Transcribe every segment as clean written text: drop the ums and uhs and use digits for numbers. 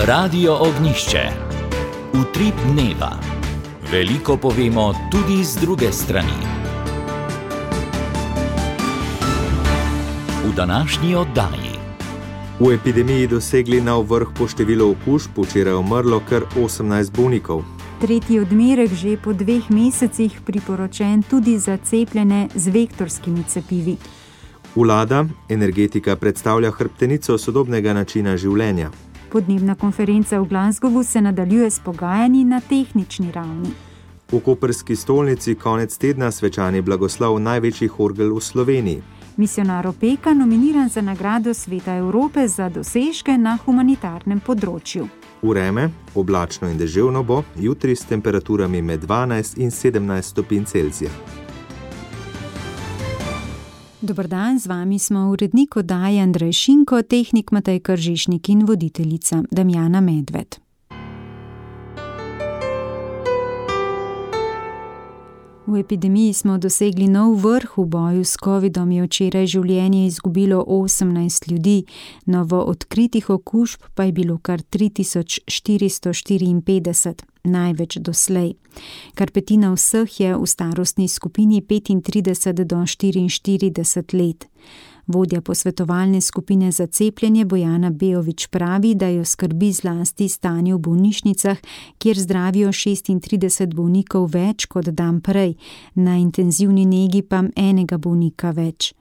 Radio Ognjišče. Utrip dneva. Veliko povemo tudi z druge strani. V današnji oddaji. V epidemiji dosegli nov vrh po številu okužb, včeraj umrlo kar 18 bolnikov. Tretji odmerek že po 2 mesecih priporočen tudi za cepljene z vektorskimi cepivi. Vlada, energetika predstavlja hrbtenico sodobnega načina življenja. Podnebna konferenca v Glasgowu se nadaljuje s pogajanji na tehnični ravni. V koprski stolnici konec tedna svečani blagoslov največjih orgel v Sloveniji. Misionar Opeka nominiran za nagrado Sveta Evrope za dosežke na humanitarnem področju. Vreme, oblačno in deževno bo, jutri s temperaturami med 12 in 17 stopinj Celzija. Dober dan, z vami smo urednik oddaje Andrej Šinko, tehnik Matej Kržišnik in voditeljica Damjana Medved. V epidemiji smo dosegli nov vrh. V boju s covidom je včeraj življenje izgubilo 18 ljudi, novo odkritih okužb pa je bilo kar 3454, največ doslej. Kar petina vseh je v starostni skupini 35 do 44 let. Vodja posvetovalne skupine za cepljenje Bojana Bejović pravi, da jo skrbi zlasti stanje v bolnišnicah, kjer zdravijo 36 bolnikov več kot dan prej, na intenzivni negi pa enega bolnika več.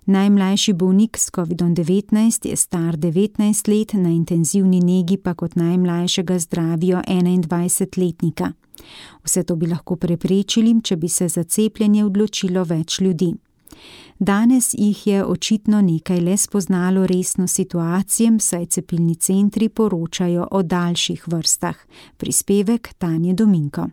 Najmlajši bolnik s COVID-19 je star 19 let, na intenzivni negi pa kot najmlajšega zdravijo 21-letnika. Vse to bi lahko preprečili, če bi se za cepljenje odločilo več ljudi. Danes jih je očitno nekaj le spoznalo resno situacijo, saj cepilni centri poročajo o daljših vrstah. Prispevek Tanje Dominko.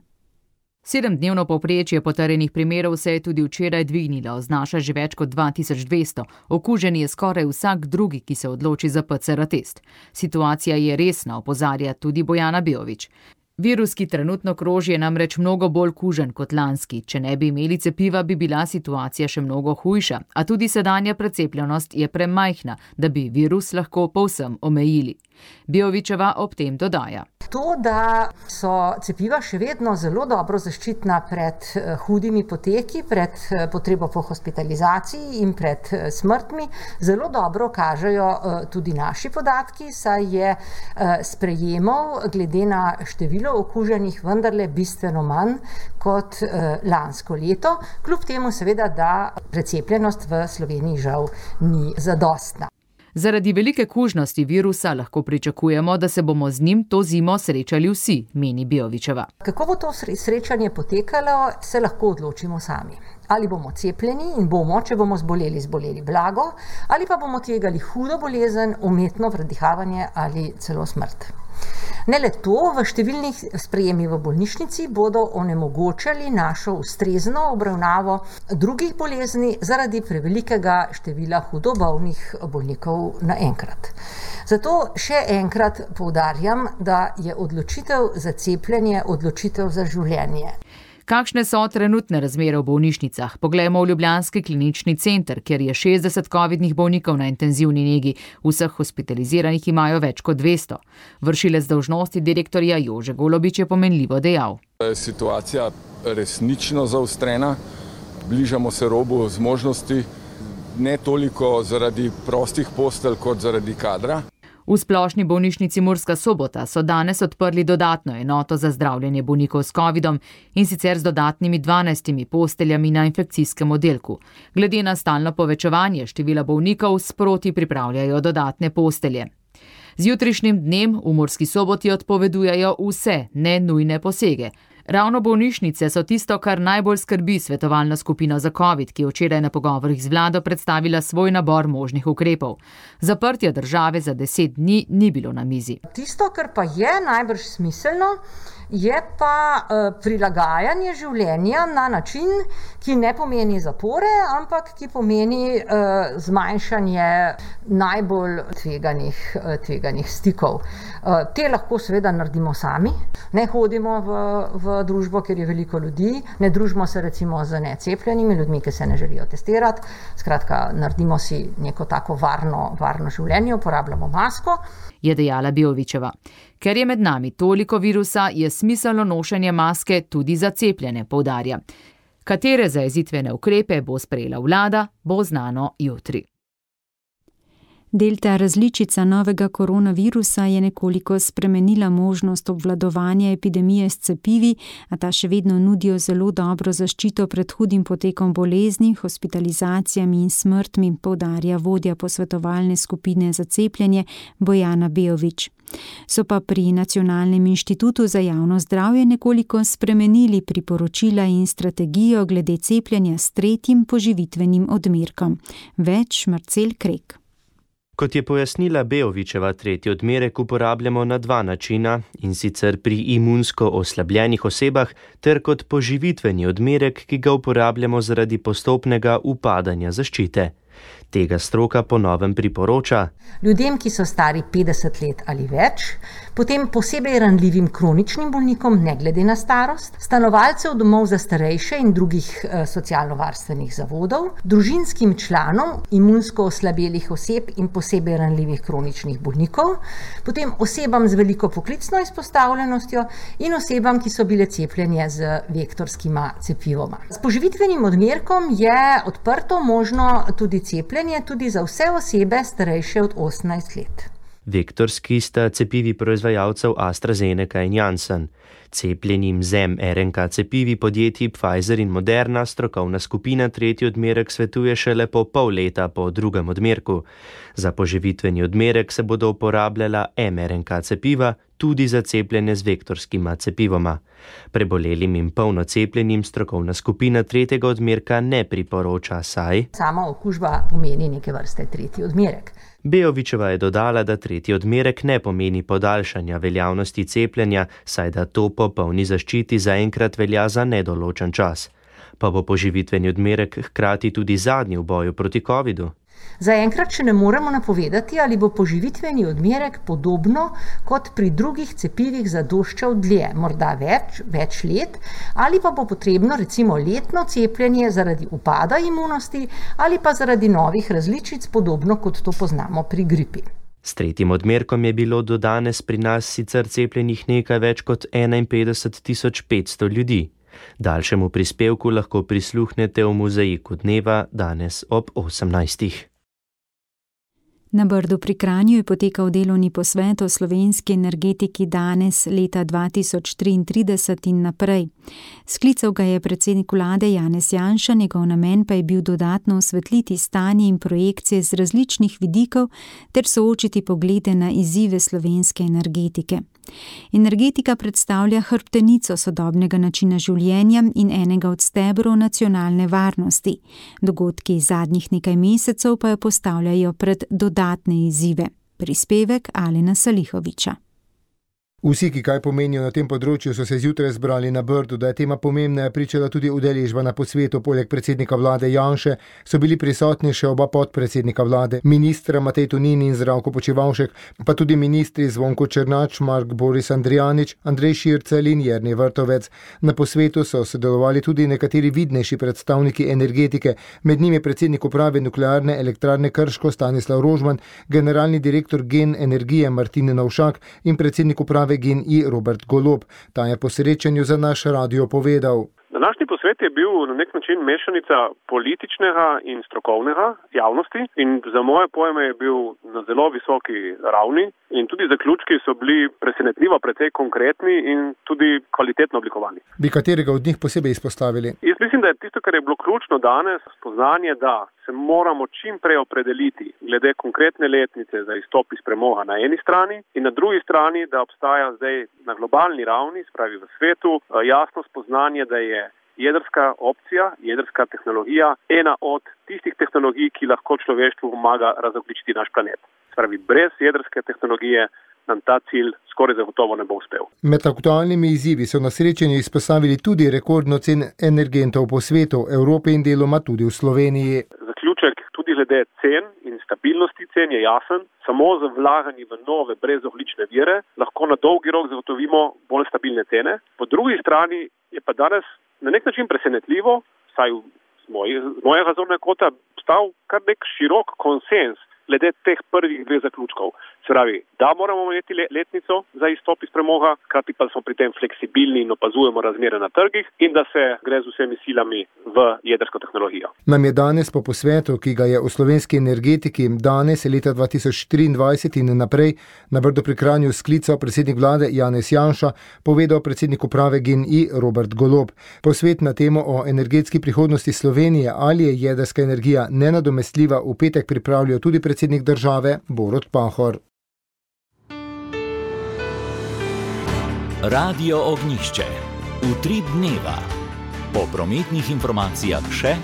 7-dnevno povprečje potrjenih primerov se je tudi včeraj dvignilo, znaša že več kot 2200. Okužen je skoraj vsak drugi, ki se odloči za PCR test. Situacija je resna, opozarja tudi Bojana Bejović. Virus, ki trenutno kroži, je namreč mnogo bolj kužen kot lanski. Če ne bi imeli cepiva, bi bila situacija še mnogo hujša, a tudi sedanja precepljenost je premajhna, da bi virus lahko povsem omejili. Bejovićeva ob tem dodaja. To, da so cepiva še vedno zelo dobro zaščitna pred hudimi poteki, pred potrebo po hospitalizaciji in pred smrtmi, zelo dobro kažejo tudi naši podatki, saj je sprejemov glede na število okuženih vendarle bistveno manj kot lansko leto, kljub temu seveda, da precepljenost v Sloveniji žal ni zadostna. Zaradi velike kužnosti virusa lahko pričakujemo, da se bomo z njim to zimo srečali vsi, meni Bejovićeva. Kako bo to srečanje potekalo, se lahko odločimo sami. Ali bomo cepljeni in bomo, če bomo zboleli blago, ali pa bomo tvegali hudo bolezen, umetno predihavanje ali celo smrt. Ne le to, v številnih sprejemih v bolnišnici bodo onemogočali našo ustrezno obravnavo drugih bolezni zaradi prevelikega števila hudo bolnih bolnikov naenkrat. Zato še enkrat poudarjam, da je odločitev za cepljenje odločitev za življenje. Kakšne so trenutne razmere v bolnišnicah? Poglejmo v ljubljanski klinični center, kjer je 60 covidnih bolnikov na intenzivni negi. Vseh hospitaliziranih imajo več kot 200. Vršilec dolžnosti direktorja Jože Golobič je pomenljivo dejal. Situacija resnično zaostrena. Bližamo se robu zmožnosti, ne toliko zaradi prostih postelj kot zaradi kadra. V splošni bolnišnici Murska Sobota so danes odprli dodatno enoto za zdravljenje bolnikov s covidom in sicer z dodatnimi 12 posteljami na infekcijskem oddelku. Glede na stalno povečevanje števila bolnikov sproti pripravljajo dodatne postelje. Z jutrišnjim dnem v Murski Soboti odpovedujejo vse nenujne posege. Ravno bolnišnice so tisto, kar najbolj skrbi svetovalna skupina za covid, ki je včeraj na pogovorih z vlado predstavila svoj nabor možnih ukrepov. Zaprtje države za 10 dni ni bilo na mizi. Tisto, kar pa je najbrž smiselno, je pa prilagajanje življenja na način, ki ne pomeni zapore, ampak ki pomeni zmanjšanje najbolj tveganih stikov. Te lahko seveda naredimo sami, ne hodimo v v družbo, kjer je veliko ljudi. Ne družimo se recimo z necepljenimi ljudmi, ki se ne želijo testirati. Skratka, naredimo si neko tako varno življenje, uporabljamo masko. Je dejala Beovićeva. Ker je med nami toliko virusa, je smiselno nošenje maske tudi za cepljene, poudarja. Katere zajezitvene ukrepe bo sprejela vlada, bo znano jutri. Delta različica novega koronavirusa je nekoliko spremenila možnost obvladovanja epidemije s cepivi, a ta še vedno nudijo zelo dobro zaščito pred hudim potekom bolezni, hospitalizacijami in smrtmi, poudarja vodja posvetovalne skupine za cepljenje Bojana Beović. So pa pri Nacionalnem inštitutu za javno zdravje nekoliko spremenili priporočila in strategijo glede cepljenja s 3. poživitvenim odmerkom. Več Marcel Krek. Kot je pojasnila Beovićeva, 3. odmerek uporabljamo na 2 načina, in sicer pri imunsko oslabljenih osebah ter kot poživitveni odmerek, ki ga uporabljamo zaradi postopnega upadanja zaščite. Tega stroka po novem priporoča ljudem, ki so stari 50 let ali več, potem posebej ranljivim kroničnim bolnikom, ne glede na starost, stanovalcev domov za starejše in drugih socialno-varstvenih zavodov, družinskim članom imunsko oslabelih oseb in posebej ranljivih kroničnih bolnikov, potem osebam z veliko poklicno izpostavljenostjo in osebam, ki so bile cepljene z vektorskima cepivoma. S poživitvenim odmerkom je odprto možno tudi cepljenje, tudi za vse osebe starejše od 18 let. Vektorski sta cepivi proizvajalcev AstraZeneca in Janssen. Cepljenim z mRNK cepivi podjetji Pfizer in Moderna strokovna skupina 3. odmerek svetuje šele po pol leta po 2. odmerku. Za poživitveni odmerek se bodo uporabljala mRNK cepiva tudi za cepljenje z vektorskima cepivoma. Prebolelim in polno cepljenim strokovna skupina 3. odmerka ne priporoča, saj sama okužba pomeni neke vrste 3. odmerek. Beovićeva je dodala, da 3. odmerek ne pomeni podaljšanja veljavnosti cepljenja, saj da to po polni zaščiti zaenkrat velja za nedoločen čas. Pa bo poživitveni odmerek hkrati tudi zadnji v boju proti covidu? Zaenkrat še ne moremo napovedati, ali bo poživitveni odmerek podobno kot pri drugih cepivih zadoščal dlje, morda več let, ali pa bo potrebno recimo letno cepljenje zaradi upada imunosti ali pa zaradi novih različic, podobno kot to poznamo pri gripi. S 3. odmerkom je bilo do danes pri nas sicer cepljenih nekaj več kot 51.500 ljudi. Daljšemu prispevku lahko prisluhnete v Mozaiku dneva danes ob 18. Na Brdu pri Kranju je potekal delovni posvet o slovenski energetiki danes leta 2033 in naprej. Sklical ga je predsednik vlade Janez Janša, njegov namen pa je bil dodatno osvetliti stanje in projekcije z različnih vidikov ter soočiti poglede na izzive slovenske energetike. Energetika predstavlja hrbtenico sodobnega načina življenja in enega od stebrov nacionalne varnosti. Dogodki zadnjih nekaj mesecev pa jo postavljajo pred dodatne izzive. Prispevek Alena Salihovića. Vsi, ki kaj pomenijo na tem področju, so se zjutraj zbrali na Brdu. Da je tema pomembna, je pričala tudi udeležba na posvetu. Poleg predsednika vlade Janše so bili prisotni še oba podpredsednika vlade, ministra Matej Tonin in Zdravko Počivalšek, pa tudi ministri Zvonko Černač, Mark Boris Andrijanič, Andrej Šircelj in Jernej Vrtovec. Na posvetu so sodelovali tudi nekateri vidnejši predstavniki energetike, med njimi predsednik uprave nuklearne elektrarne Krško Stanislav Rožman, generalni direktor Gen energije Martin Novšak in predsednik uprave Gen-I Robert Golob. Ta je po srečanju za naš radio povedal. Današnji posvet je bil na nek način mešanica političnega in strokovnega javnosti in za moje pojme je bil na zelo visoki ravni in tudi zaključki so bili presenetljivo precej konkretni in tudi kvalitetno oblikovani. Bi katerega od njih posebej izpostavili? Jaz mislim, da je tisto, kar je bilo ključno danes, spoznanje, da se moramo čim prej opredeliti glede konkretne letnice za izstop iz premoga na eni strani in na drugi strani, da obstaja zdaj na globalni ravni, spravi v svetu, jasno spoznanje, da je jedrska opcija, jedrska tehnologija ena od tistih tehnologij, ki lahko človeštvu pomaga razogljičiti naš planet. Spravi, brez jedrske tehnologije nam ta cilj skoraj zagotovo ne bo uspel. Med aktualnimi izzivi so na srečanju izpostavili tudi rekordno cen energentov po svetu, Evropi in deloma tudi v Sloveniji. Zaključek tudi glede cen in stabilnosti cen je jasen. Samo z vlaganji v nove brezogljične vire lahko na dolgi rok zagotovimo bolj stabilne cene. Po drugi strani je pa danes na nek način presenetljivo, vsaj z mojega zornega kota, stal kar nek širok konsens glede teh prvih dveh zaključkov. Se pravi, da moramo imeti letnico za izstop iz premoga, hkrati pa smo pri tem fleksibilni in opazujemo razmere na trgih in da se gre z vsemi silami v jedrsko tehnologijo. Nam je danes po posvetu, ki ga je v slovenski energetiki danes leta 2023 in naprej na Brdu pri Kranju sklical predsednik vlade Janez Janša, povedal predsednik uprave GEN-I Robert Golob. Posvet na temo o energetski prihodnosti Slovenije, ali je jedrska energija nenadomestljiva, v petek pripravljajo tudi predsednik države Borut Pahor. Radio Ognjišče. Utrip dneva. Po prometnih informacijah še.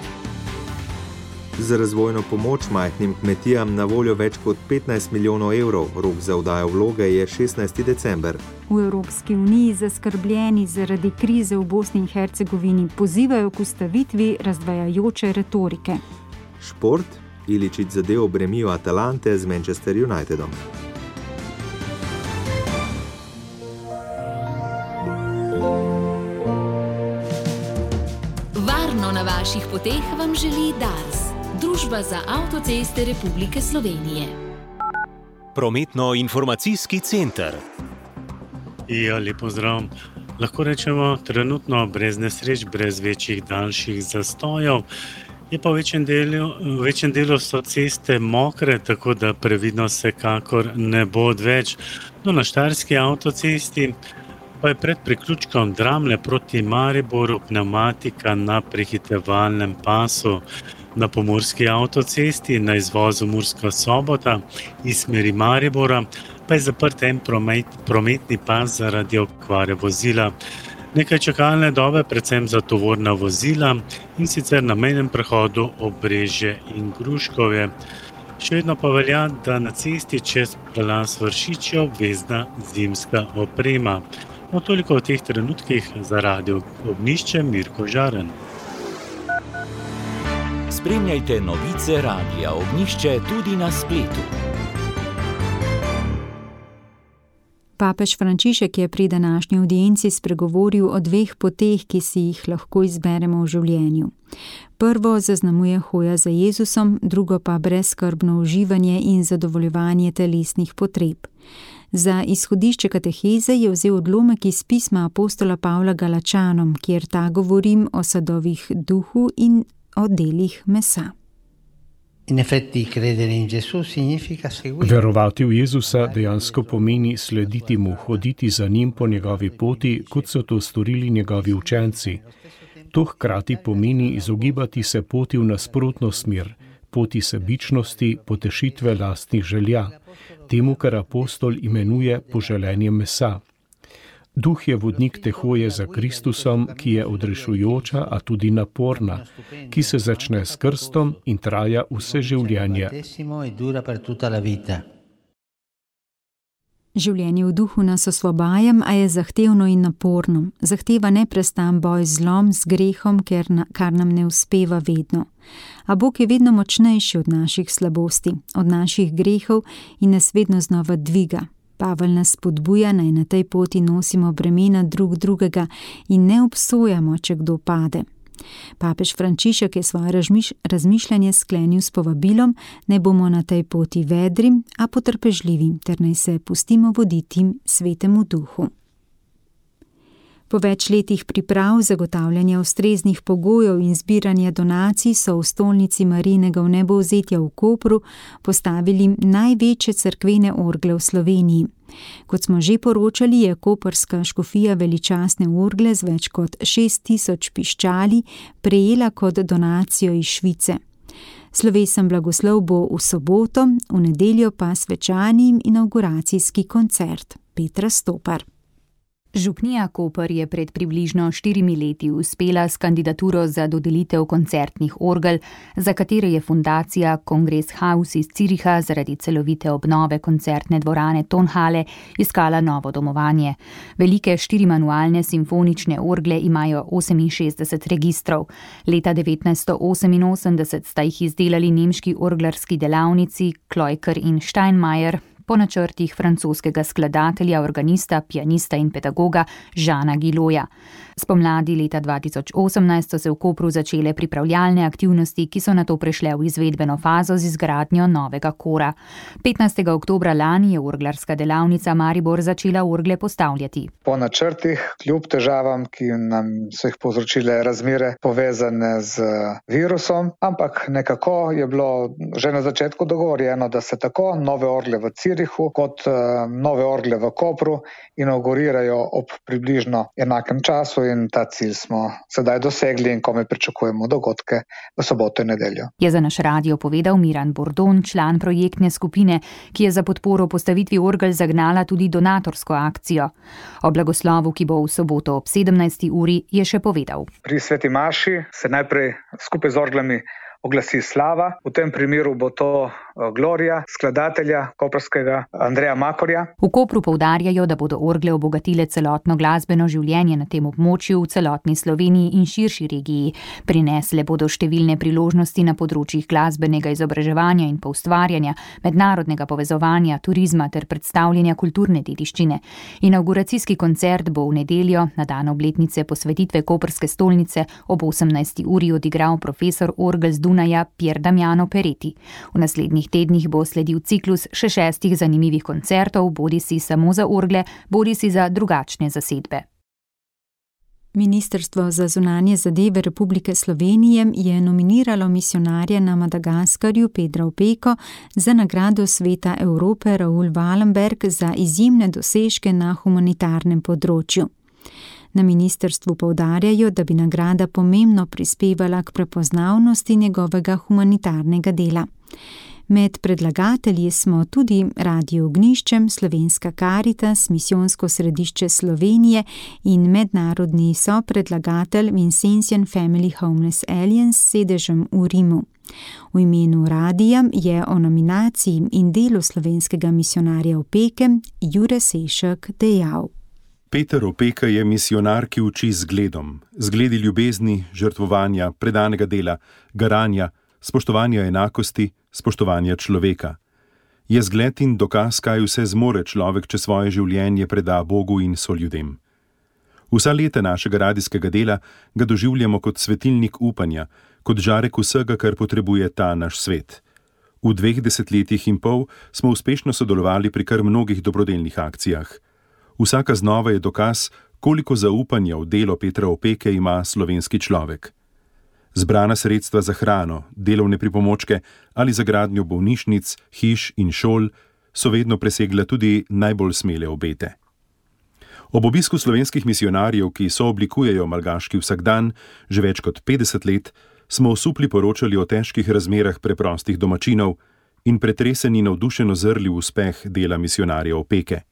Za razvojno pomoč majhnim kmetijam na voljo več kot 15 milijonov evrov. Rok za oddajo vloge je 16. december. V Evropski uniji zaskrbljeni zaradi krize v Bosni in Hercegovini pozivajo k ustavitvi razdvajajoče retorike. Šport. Iličić zadev bremijo Atalante z Manchester Unitedom. Varno na vaših poteh vam želi Dars, Družba za avtoceste Republike Slovenije. Prometno-informacijski center. Lep pozdrav. Lahko rečemo trenutno brez nesreč, brez večjih daljših zastojev. Je pa v večjem delu so ceste mokre, tako da previdnost vsekakor ne bo odveč. No, na štajerski avtocesti pa je pred priključkom Dramlje proti Mariboru pnevmatika na prehitevalnem pasu. Na pomurski avtocesti na izvozu Murska Sobota iz smeri Maribora pa je zaprt en prometni pas zaradi okvare vozila. Nekaj čakalne dobe, predvsem za tovorna vozila, in sicer na mejnem prehodu Obrežje in Gruškovje. Še vedno pa velja, da na cesti čez prelaz Vršič je obvezna zimska oprema. No, toliko v teh trenutkih za Radio Ognjišče, Mirko Žaren. Spremljajte novice Radia Ognjišče tudi na spletu. Papež Frančišek je pri današnji audienci spregovoril o dveh poteh, ki si jih lahko izberemo v življenju. Prvo zaznamuje hoja za Jezusom, drugo pa brezskrbno uživanje in zadovoljevanje telesnih potreb. Za izhodišče kateheze je vzel odlomek iz pisma apostola Pavla Galačanom, kjer ta govorim o sadovih duhu in o delih mesa. Verovati v Jezusa dejansko pomeni slediti mu, hoditi za njim po njegovi poti, kot so to storili njegovi učenci. To hkrati pomeni izogibati se poti v nasprotno smer, poti sebičnosti, potešitve lastnih želja, temu, kar apostol imenuje poželenje mesa. Duh je vodnik te hoje za Kristusom, ki je odrešujoča, a tudi naporna, ki se začne s krstom in traja vse življenje. Življenje v duhu nas osvobaja, a je zahtevno in naporno. Zahteva neprestan boj z zlom, z grehom, kar nam ne uspeva vedno. A Bog je vedno močnejši od naših slabosti, od naših grehov in nas vedno znova dviga. Pavel nas spodbuja, naj na tej poti nosimo bremena drug drugega in ne obsojamo, če kdo pade. Papež Frančišek je svoje razmišljanje sklenil s povabilom, naj bomo na tej poti vedri, a potrpežljivi, ter naj se pustimo voditi svetemu duhu. Po več letih priprav, zagotavljanja ustreznih pogojev in zbiranja donacij so v stolnici Marijinega vnebovzetja v Kopru postavili največje cerkvene orgle v Sloveniji. Kot smo že poročali, je koprska škofija veličastne orgle z več kot 6000 piščali prejela kot donacijo iz Švice. Slovesen blagoslov bo v soboto, v nedeljo pa svečani inavguracijski koncert. Petra Stopar. Župnija Koper je pred približno 4 leti uspela s kandidaturo za dodelitev koncertnih orgel, za katere je fundacija Kongress Haus iz Züricha zaradi celovite obnove koncertne dvorane Tonhalle iskala novo domovanje. Velike 4-manualne simfonične orgle imajo 68 registrov. Leta 1988 sta jih izdelali nemški orglarski delavnici Kloiker in Steinmeier, po načrtih francoskega skladatelja, organista, pianista in pedagoga Žana Giloja. Spomladi leta 2018 so se v Kopru začele pripravljalne aktivnosti, ki so nato prešle v izvedbeno fazo z izgradnjo novega kora. 15. oktobra lani je orglarska delavnica Maribor začela orgle postavljati. Po načrtih, kljub težavam, ki nam so jih povzročile razmere povezane z virusom, ampak nekako je bilo že na začetku dogovorjeno, da se tako nove orgle v Zürichu kot nove orgle v Kopru inaugurirajo ob približno enakem času in ta cilj smo sedaj dosegli in komaj pričakujemo dogodke v soboto in nedeljo. Je za naš radio povedal Miran Bordon, član projektne skupine, ki je za podporo postavitvi orgel zagnala tudi donatorsko akcijo. O blagoslovu, ki bo v soboto ob 17. uri, je še povedal. Pri sveti maši se najprej skupaj z orglami oglasi slava. V tem primeru bo to Gloria, skladatelja koprskega Andreja Makorja. V Kopru poudarjajo, da bodo orgle obogatile celotno glasbeno življenje na tem območju, v celotni Sloveniji in širši regiji. Prinesle bodo številne priložnosti na področjih glasbenega izobraževanja in poustvarjanja, mednarodnega povezovanja, turizma ter predstavljanja kulturne dediščine. Inauguracijski koncert bo v nedeljo, na dan obletnice posvetitve koprske stolnice, ob 18. uri odigral profesor orgel z Dunaja Pier Damiano Peretti. V naslednjih tednih bo sledil ciklus še 6 zanimivih koncertov, bodisi samo za orgle, bodisi za drugačne zasedbe. Ministrstvo za zunanje zadeve Republike Slovenije je nominiralo misijonarja na Madagaskarju Petra Opeko za nagrado Sveta Evrope Raoul Wallenberg za izjemne dosežke na humanitarnem področju. Na ministrstvu poudarjajo, da bi nagrada pomembno prispevala k prepoznavnosti njegovega humanitarnega dela. Med predlagatelji smo tudi Radio Ognjiščem, Slovenska Karitas, Misijonsko središče Slovenije in mednarodni sopredlagatelj Vincentian Family Homeless Alliance s sedežem v Rimu. V imenu radija je o nominaciji in delu slovenskega misijonarja Opeke Jure Sešek dejal. Peter Opeka je misijonar, ki uči zgledom, zgledi ljubezni, žrtvovanja, predanega dela, garanja, spoštovanja enakosti, spoštovanja človeka. Je zgled in dokaz, kaj vse zmore človek, če svoje življenje preda Bogu in soljudem. Vsa leta našega radijskega dela ga doživljamo kot svetilnik upanja, kot žarek vsega, kar potrebuje ta naš svet. V 2 desetletjih in pol smo uspešno sodelovali pri kar mnogih dobrodelnih akcijah. Vsaka znova je dokaz, koliko zaupanja v delo Petra Opeke ima slovenski človek. Zbrana sredstva za hrano, delovne pripomočke ali za gradnjo bolnišnic, hiš in šol so vedno presegla tudi najbolj smele obete. Ob obisku slovenskih misijonarjev, ki sooblikujejo malgaški vsakdan, že več kot 50 let, smo osupli poročali o težkih razmerah preprostih domačinov in pretreseni navdušeno zrli v uspeh dela misijonarja Opeke.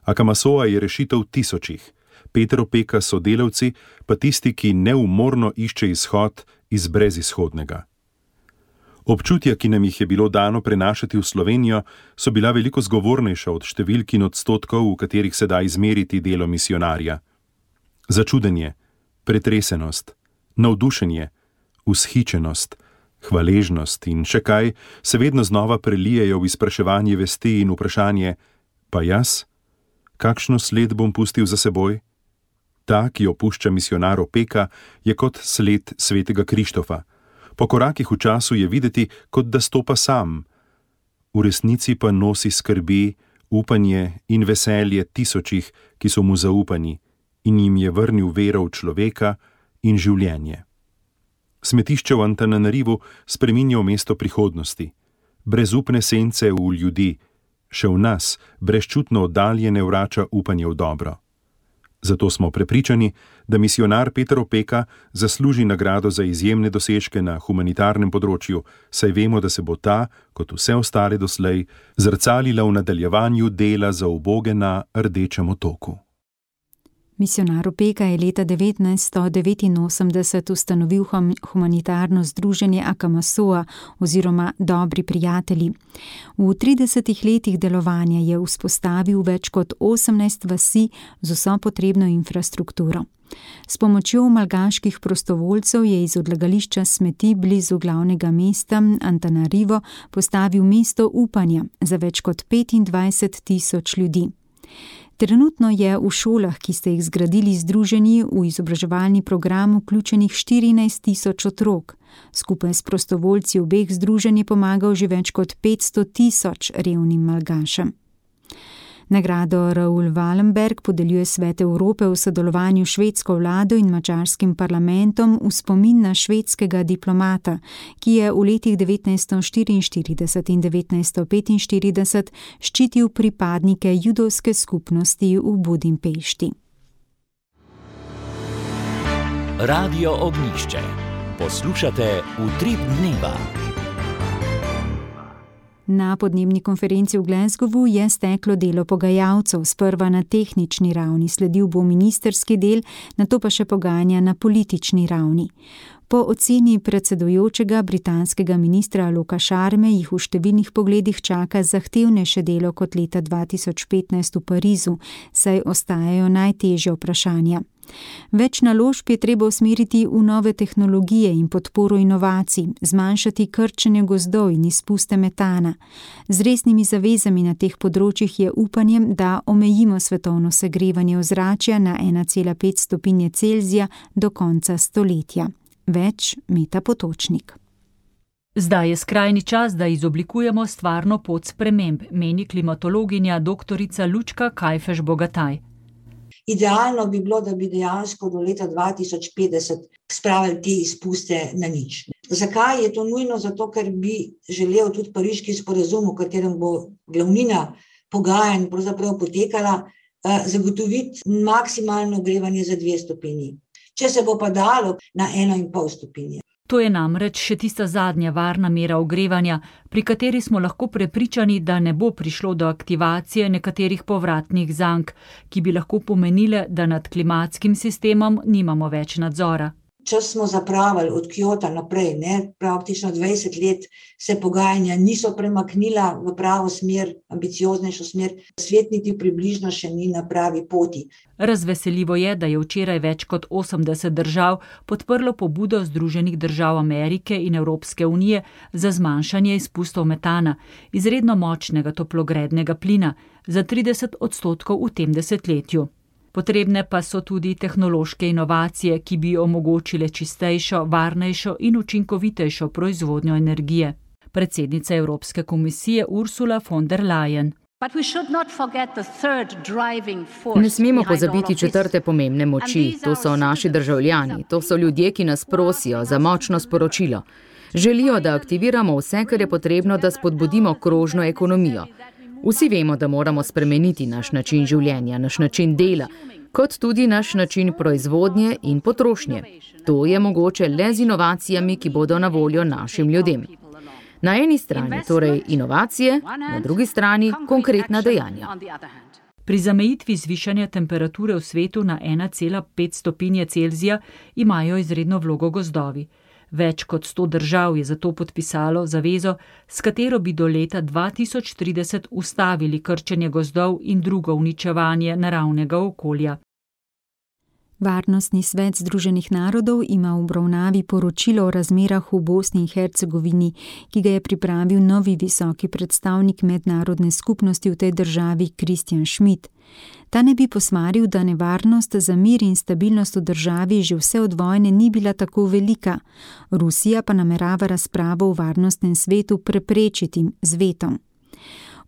Akamasoa je rešitev tisočih, Peter Opeka so delavci, pa tisti, ki neumorno išče izhod iz brezizhodnega. Občutja, ki nam jih je bilo dano prenašati v Slovenijo, so bila veliko zgovornejša od številk in odstotkov, v katerih se da izmeriti delo misijonarja. Začudenje, pretresenost, navdušenje, vzhičenost, hvaležnost in še kaj se vedno znova prelijejo v izpraševanje vesti in vprašanje: pa jaz? Kakšno sled bom pustil za seboj? Ta, ki jo pušča misijonar Opeka, je kot sled svetega Krištofa. Po korakih v času je videti, kot da stopa sam. V resnici pa nosi skrbi, upanje in veselje tisočih, ki so mu zaupani, in jim je vrnil vero v človeka in življenje. Smetišče v Antananarivu spreminja v mesto prihodnosti. Brezupne sence v ljudi, še v nas, brezčutno oddaljene vrača upanje v dobro. Zato smo prepričani, da misijonar Peter Opeka zasluži nagrado za izjemne dosežke na humanitarnem področju, saj vemo, da se bo ta, kot vse ostale doslej, zrcalila v nadaljevanju dela za uboge na Rdečem otoku. Misionar Opeka je leta 1989 ustanovil humanitarno združenje Akamasoa oziroma Dobri prijatelji. V 30 letih delovanja je vzpostavil več kot 18 vasi z vso potrebno infrastrukturo. S pomočjo malgaških prostovoljcev je iz odlagališča smeti blizu glavnega mesta Antananarivo postavil mesto upanja za več kot 25,000 ljudi. Trenutno je v šolah, ki ste jih zgradili združeni, v izobraževalni program vključenih 14,000 otrok. Skupaj s prostovoljci obeh združenj je pomagal že več kot 500,000 revnim malgašem. Nagrado Raoul Wallenberg podeljuje Svet Evrope v sodelovanju s švedsko vlado in madžarskim parlamentom v spomin na švedskega diplomata, ki je v letih 1944 in 1945 ščitil pripadnike judovske skupnosti v Budimpešti. Radio Ognjišče. Poslušate Utrip dneva. Na podnebni konferenci v Glasgowu je steklo delo pogajalcev, sprva na tehnični ravni, sledil bo ministerski del, nato pa še pogajanja na politični ravni. Po oceni predsedujočega britanskega ministra Loka Sharme jih v številnih pogledih čaka zahtevnejše delo kot leta 2015 v Parizu, saj ostajajo najtežje vprašanja. Več naložb je treba usmeriti v nove tehnologije in podporo inovacij, zmanjšati krčenje gozdov in izpuste metana. Z resnimi zavezami na teh področjih je upanjem, da omejimo svetovno segrevanje ozračja na 1,5 stopinje Celzija do konca stoletja. Več Meta Potočnik. Zdaj je skrajni čas, da izoblikujemo stvarno pot sprememb, meni klimatologinja doktorica Lučka Kajfež-Bogataj. Idealno bi bilo, da bi dejansko do leta 2050 spravili te izpuste na nič. Zakaj je to nujno? Zato, ker bi želel tudi pariški sporazum, v katerem bo glavnina pogajanj pravzaprav potekala, zagotoviti maksimalno ogrevanje za 2 stopinji. Če se bo pa dalo na 1,5 stopinje. To je namreč še tista zadnja varna mera ogrevanja, pri kateri smo lahko prepričani, da ne bo prišlo do aktivacije nekaterih povratnih zank, ki bi lahko pomenile, da nad klimatskim sistemom nimamo več nadzora. Čas smo zapravili od Kjota naprej, praktično 20 let se pogajanja niso premaknila v pravo smer, ambicioznejšo smer, svet niti približno še ni na pravi poti. Razveseljivo je, da je včeraj več kot 80 držav podprlo pobudo Združenih držav Amerike in Evropske unije za zmanjšanje izpustov metana, izredno močnega toplogrednega plina, za 30% v tem desetletju. Potrebne pa so tudi tehnološke inovacije, ki bi omogočile čistejšo, varnejšo in učinkovitejšo proizvodnjo energije. Predsednica Evropske komisije Ursula von der Leyen. Ne smemo pozabiti četrte pomembne moči, to so naši državljani, to so ljudje, ki nas prosijo za močno sporočilo. Želijo, da aktiviramo vse, kar je potrebno, da spodbudimo krožno ekonomijo. Vsi vemo, da moramo spremeniti naš način življenja, naš način dela, kot tudi naš način proizvodnje in potrošnje. To je mogoče le z inovacijami, ki bodo na voljo našim ljudem. Na eni strani torej inovacije, na drugi strani konkretna dejanja. Pri zamejitvi zvišanja temperature v svetu na 1,5 stopinje Celzija imajo izredno vlogo gozdovi. Več kot 100 držav je zato podpisalo zavezo, s katero bi do leta 2030 ustavili krčenje gozdov in drugo uničevanje naravnega okolja. Varnostni svet Združenih narodov ima v obravnavi poročilo o razmerah v Bosni in Hercegovini, ki ga je pripravil novi visoki predstavnik mednarodne skupnosti v tej državi Christian Schmidt. Ta ne bi posmaril, da nevarnost za mir in stabilnost v državi že vse od vojne ni bila tako velika. Rusija pa namerava razpravo v varnostnem svetu preprečiti z vetom.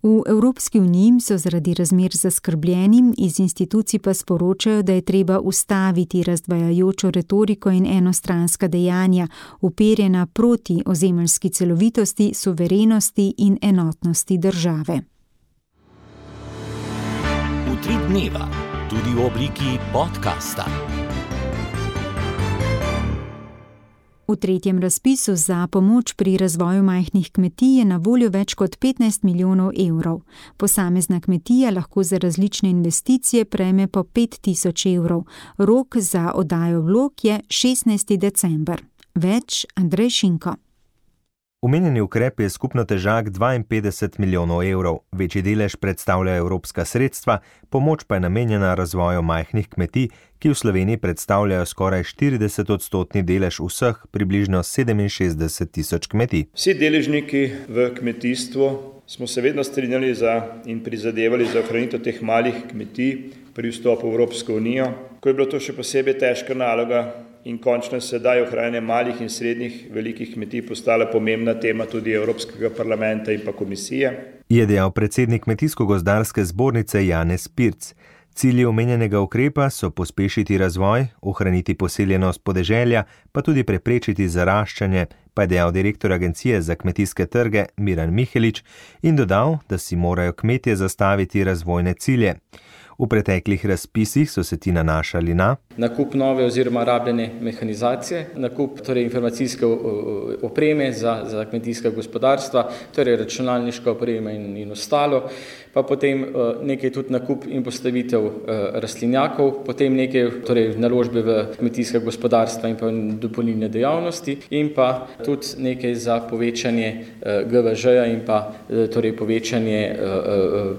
V Evropski uniji so zaradi razmer zaskrbljeni, iz institucij pa sporočajo, da je treba ustaviti razdvajajočo retoriko in enostranska dejanja, uperjena proti ozemeljski celovitosti, suverenosti in enotnosti države. Utrip dneva, tudi v obliki podcasta. V tretjem razpisu za pomoč pri razvoju majhnih kmetij je na voljo več kot 15 milijonov evrov. Posamezna kmetija lahko za različne investicije prejme po 5.000 evrov. Rok za oddajo vlog je 16. december. Več Andrej Šinko. Omenjeni ukrep je skupno težak 52 milijonov evrov. Večji delež predstavlja evropska sredstva, pomoč pa je namenjena razvoju majhnih kmetij, ki v Sloveniji predstavljajo skoraj 40% delež vseh, približno 67 tisoč kmetij. Vsi deležniki v kmetijstvu smo se vedno strinjali in prizadevali za ohranitev teh malih kmetij pri vstopu v Evropsko unijo, ko je bilo to še posebej težka naloga in končno sedaj ohranjanje malih in srednjih velikih kmetij postala pomembna tema tudi Evropskega parlamenta in pa komisije. Je dejal predsednik Kmetijsko-gozdarske zbornice Janez Pirc. Cilji omenjenega ukrepa so pospešiti razvoj, ohraniti poseljenost podeželja, pa tudi preprečiti zaraščanje, pa je dejal direktor Agencije za kmetijske trge Miran Mihelič in dodal, da si morajo kmetje zastaviti razvojne cilje. V preteklih razpisih so se ti nanašali na nakup nove oziroma rabljene mehanizacije, nakup informacijske opreme za kmetijska gospodarstva, računalniška oprema in ostalo, pa potem nekaj tudi nakup in postavitev rastlinjakov, potem nekaj naložbe v kmetijska gospodarstva in pa dopolnilne dejavnosti in pa tudi nekaj za povečanje GVŽ-ja in pa povečanje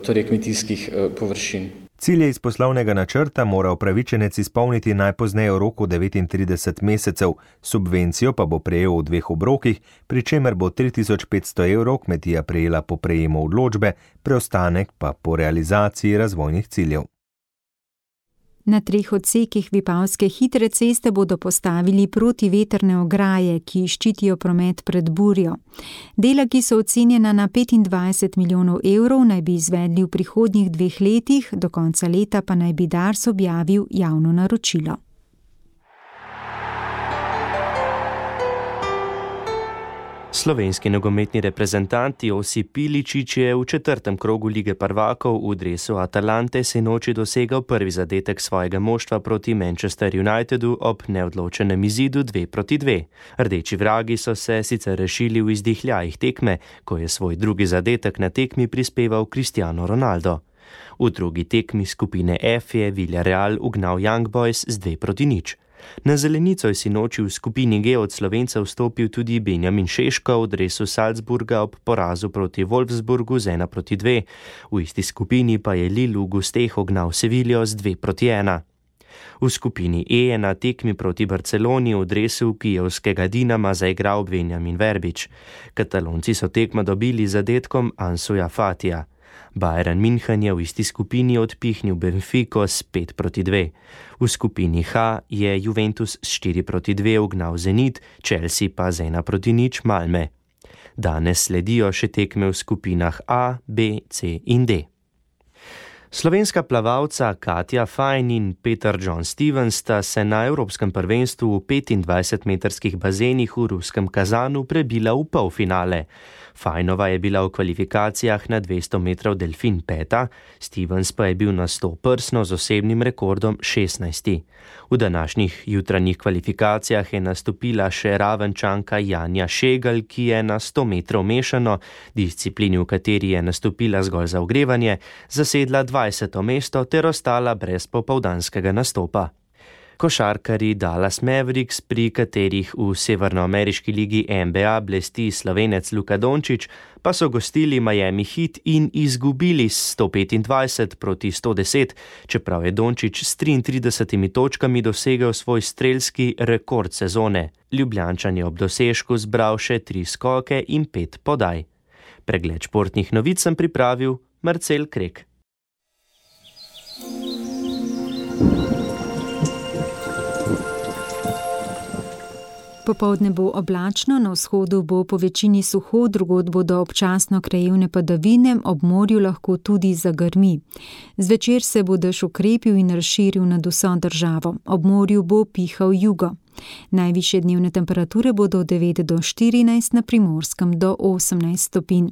kmetijskih površin. Cilje iz poslovnega načrta mora upravičenec izpolniti najpozneje v roku 39 mesecev, subvencijo pa bo prejel v 2 obrokih, pri čemer bo 3500 evrov kmetija prejela po prejemu odločbe, preostanek pa po realizaciji razvojnih ciljev. Na 3 odsekih Vipavske hitre ceste bodo postavili protiveterne ograje, ki ščitijo promet pred burjo. Dela, ki so ocenjena na 25 milijonov evrov, naj bi izvedli v prihodnjih 2 letih, do konca leta pa naj bi Dars objavil javno naročilo. Slovenski nogometni reprezentant Josip Iličić je v 4. krogu Lige prvakov v dresu Atalante sinoči dosegal prvi zadetek svojega moštva proti Manchester Unitedu ob neodločenem izidu 2-2. Rdeči vragi so se sicer rešili v izdihljajih tekme, ko je svoj drugi zadetek na tekmi prispeval Cristiano Ronaldo. V drugi tekmi skupine F je Villarreal ugnal Young Boys z 2-0. Na zelenico je sinoči v skupini G od Slovencev vstopil tudi Benjamin Šeško v dresu Salzburga ob porazu proti Wolfsburgu z 1-2. V isti skupini pa je Lille v gosteh ugnal Seviljo z 2-1. V skupini E je na tekmi proti Barceloni v dresu kijevskega Dinama zaigral Benjamin Verbič. Katalonci so tekmo dobili z zadetkom Ansuja Fatija. Bayern München je v isti skupini odpihnil Benfico s 5-2. V skupini H je Juventus s 4-2 ugnal Zenit, Chelsea pa z 1-0 Malme. Danes sledijo še tekme v skupinah A, B, C in D. Slovenska plavalca Katja Fajn in Peter John Stevens sta se na Evropskem prvenstvu v 25-metrskih bazenih v ruskem Kazanu prebila v polfinale. Fajnova je bila v kvalifikacijah na 200 metrov delfin 5, Stevens pa je bil na 100 prsno z osebnim rekordom 16. V današnjih jutranjih kvalifikacijah je nastopila še Ravenčanka Janja Šegal, ki je na 100 metrov mešano, disciplini, v kateri je nastopila zgolj za ogrevanje, zasedla 20. mesto ter ostala brez popoldanskega nastopa. Košarkarji Dallas Mavericks, pri katerih v severnoameriški ligi NBA blesti Slovenec Luka Dončić, pa so gostili Miami Heat in izgubili s 125-110, čeprav je Dončić s 33 točkami dosegel svoj strelski rekord sezone. Ljubljančan je ob dosežku zbral še 3 skoke in 5 podaj. Pregled športnih novic sem pripravil Marcel Krek. Popoldne bo oblačno, na vzhodu bo po večini suho, drugod bodo občasno krajevne padavine, ob morju lahko tudi zagrmi. Zvečer se bo dež okrepil in razširil nad vso državo. Ob morju bo pihal jugo. Najvišje dnevne temperature bodo od 9 do 14, na Primorskem do 18 stopinj.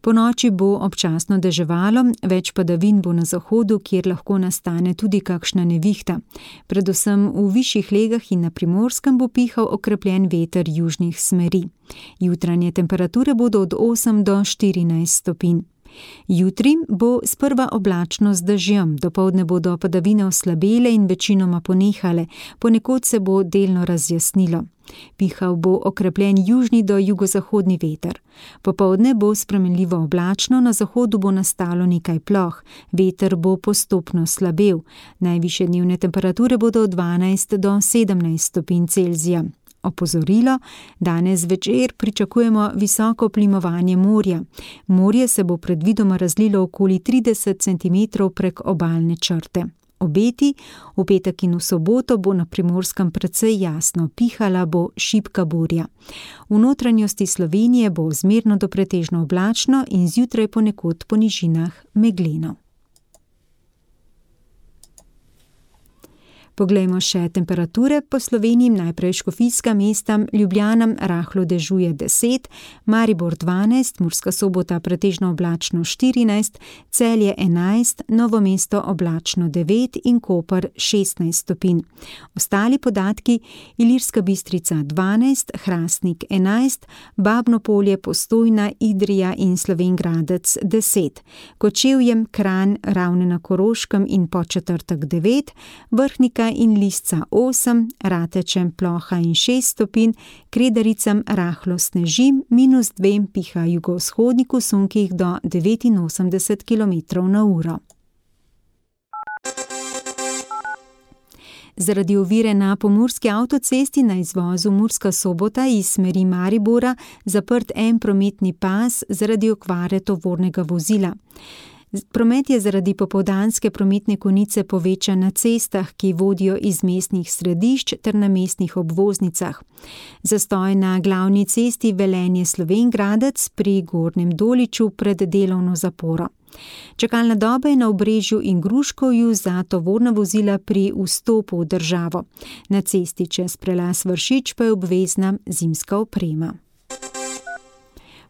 Po noči bo občasno deževalo, več padavin bo na zahodu, kjer lahko nastane tudi kakšna nevihta. Predvsem v višjih legah in na Primorskem bo pihal okrepljen veter južnih smeri. Jutranje temperature bodo od 8 do 14 stopinj. Jutri bo sprva oblačno z dežjem, dopoldne bodo padavine oslabele in večinoma ponehale, ponekod se bo delno razjasnilo. Pihal bo okrepljen južni do jugozahodni veter. Popoldne bo spremenljivo oblačno, na zahodu bo nastalo nekaj ploh, veter bo postopno slabel. Najvišje dnevne temperature bodo od 12 do 17 stopinj Celzija. Opozorilo, danes večer pričakujemo visoko plimovanje morja. Morje se bo predvidoma razlilo okoli 30 cm prek obalne črte. Obeti, v petek in v soboto bo na Primorskem precej jasno, pihala bo šibka burja. V notranjosti Slovenije bo zmerno do pretežno oblačno in zjutraj ponekod po nižinah megleno. Poglejmo še temperature po Sloveniji. Najprej škofijska mesta, Ljubljana rahlo dežuje 10, Maribor 12, Murska Sobota pretežno oblačno 14, Celje 11, Novo mesto oblačno 9 in Koper 16 stopinj. Ostali podatki: Ilirska Bistrica 12, Hrastnik 11, Babno Polje, Postojna, Idrija in Slovenj Gradec 10, Kočevje, Kranj, Ravne na Koroškem in Podčetrtek 9, Vrhnika in Lisca 8, Rateče, Ploha in 6 stopinj, Kredaricam rahlo sneži, -2 piha jugovzhodnik v sunkih do 89 km/h. Zaradi ovire na pomurski avtocesti na izvozu Murska Sobota iz smeri Maribora zaprt en prometni pas zaradi okvare tovornega vozila. Promet je zaradi popoldanske prometne konice povečan na cestah, ki vodijo iz mestnih središč ter na mestnih obvoznicah. Zastoj na glavni cesti Velenje-Slovenj Gradec pri Gornjem Doliču pred delovno zaporo. Čakalna doba je na Obrežju in Gruškovju za tovorna vozila pri vstopu v državo. Na cesti čez prelaz Vršič pa je obvezna zimska oprema.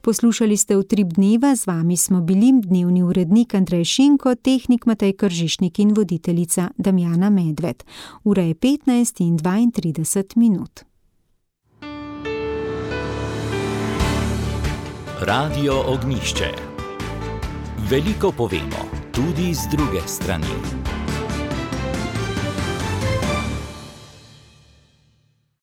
Poslušali ste Utrip dneva, z vami smo bili dnevni urednik Andrej Šinko, tehnik Matej Kržišnik in voditeljica Damjana Medved. Ura je 15:32. Radio Ognjišče. Veliko povemo, tudi z druge strani.